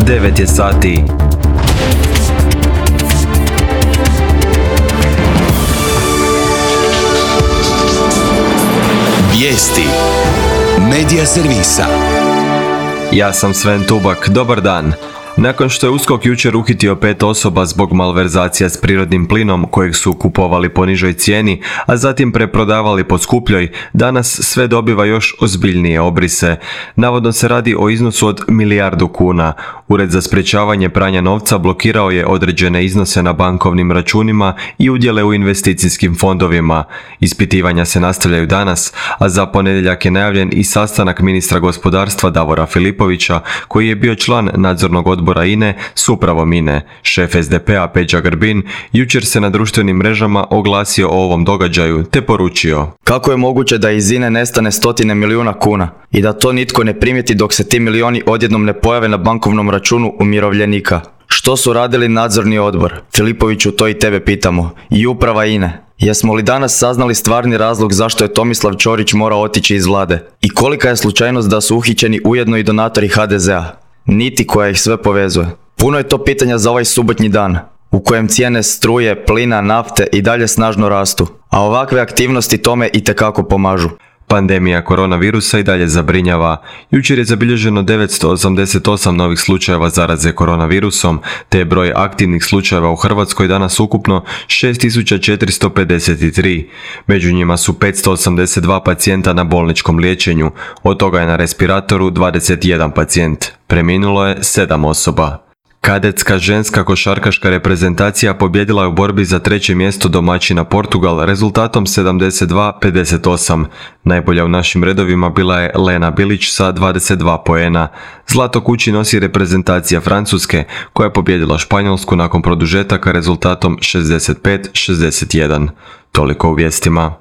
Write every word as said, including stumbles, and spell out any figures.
devet je sati. Vijesti Medija servisa. Ja sam Sven Tubak, dobar dan. Nakon što je U S K O K jučer uhitio pet osoba zbog malverzacija s prirodnim plinom kojeg su kupovali po nižoj cijeni, a zatim preprodavali po skupljoj, danas sve dobiva još ozbiljnije obrise. Navodno se radi o iznosu od milijardu kuna. Ured za sprječavanje pranja novca blokirao je određene iznose na bankovnim računima i udjele u investicijskim fondovima. Ispitivanja se nastavljaju danas, a za ponedjeljak je najavljen i sastanak ministra gospodarstva Davora Filipovića, koji je bio član nadzornog odbora I N E s upravom I N E. Šef S D P-a Peđa Grbin jučer se na društvenim mrežama oglasio o ovom događaju te poručio: kako je moguće da iz I N E nestane stotine milijuna kuna i da to nitko ne primijeti dok se ti milioni odjednom ne pojave na bankovnom računu umirovljenika? Što su radili nadzorni odbor? Filipoviću, to i tebe pitamo. I uprava I N E. Jesmo li danas saznali stvarni razlog zašto je Tomislav Ćorić morao otići iz vlade? I kolika je slučajnost da su uhićeni ujedno i donatori H D Z A? Niti koja ih sve povezuje. Puno je to pitanja za ovaj subotnji dan, u kojem cijene struje, plina, nafte i dalje snažno rastu, a ovakve aktivnosti tome itekako pomažu. Pandemija koronavirusa i dalje zabrinjava. Jučer je zabilježeno devetsto osamdeset osam novih slučajeva zaraze koronavirusom, te je broj aktivnih slučajeva u Hrvatskoj danas ukupno šest tisuća četiristo pedeset tri. Među njima su petsto osamdeset dva pacijenta na bolničkom liječenju, od toga je na respiratoru dvadeset jedan pacijent. Preminulo je sedam osoba. Kadetska ženska košarkaška reprezentacija pobijedila je u borbi za treće mjesto domaćina Portugal rezultatom sedamdeset dva pedeset osam. Najbolja u našim redovima bila je Lena Bilić sa dvadeset dva poena. Zlato kući nosi reprezentacija Francuske, koja je pobijedila Španjolsku nakon produžetaka rezultatom šezdeset pet šezdeset jedan. Toliko u vijestima.